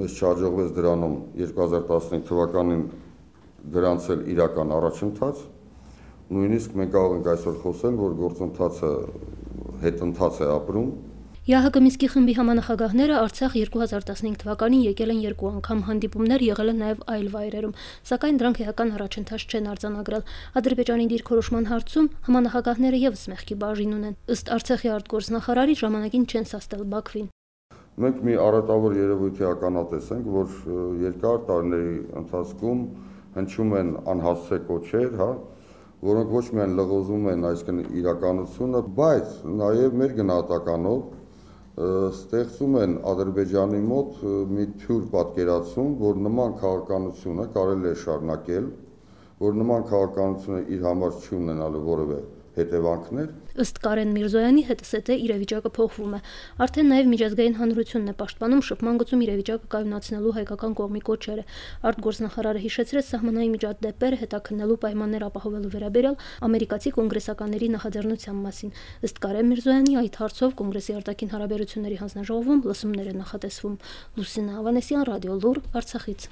մեզ չհաջողվեց դրանում 2015 թվականին գրանցել իրական առաջընթաց, նույնիսկ մենք կարող ենք այսօր խոսել, որ գործընթացը հետընթաց է ապրում։ ՀՀԿ Մինսկի խմբի համանախագահները Արցախ 2015 թվականին եկել են 2 անգամ, հանդիպումներ եղել են նաև այլ վայրերում, սակայն դրանք էական առաջընթաց չեն արձանագրել։ Ադրբեջանի դիրքորոշման հարցում համանախագահները ևս մեղքի բաժին ունեն։ Ըստ Արցախի արտգործնախարարի, ժամանակին չեն սաստել Բաքվին։ Մենք մի արատավոր երևույթի ականատես ենք, որ երկար տարիների ընթացքում հնչում են անհասցե կոչեր, որոնք ոչ միայն լղոզում են այսինքն իրականությունը, բայց նաև մեր գնահատականով ստեղծում են Ադրբեջանի մոտ մի թյուր պատկերացում, որ նման քաղաքականությունը կարելի է շարունակել, որ նման քաղաքականությունը իր համար չի ունենալու որևէ հետևանքներ։ Ըստ Կարեն Միրզոյանի, հետսետե իրավիճակը փոխվում է։ Արդեն նաև միջազգային հանրությունն է պաշտպանում շփման գծում իրավիճակը կայունացնելու հայկական կողմի կոչերը։ Արտգործնախարարը հիշեցրեց սահմանային միջադեպերը հետաքննելու պայմաններ ապահովելու վերաբերյալ ամերիկացի կոնգրեսականների նախաձեռնության մասին։ Ըստ Կարեն Միրզոյանի, այդ հարցով կոնգրեսի արտաքին հարաբերությունների հանձնաժողովում լսումներ են նախատեսվում։ Լուսինե Ավանեսյան, Ռադիո Լուր, Արցախից։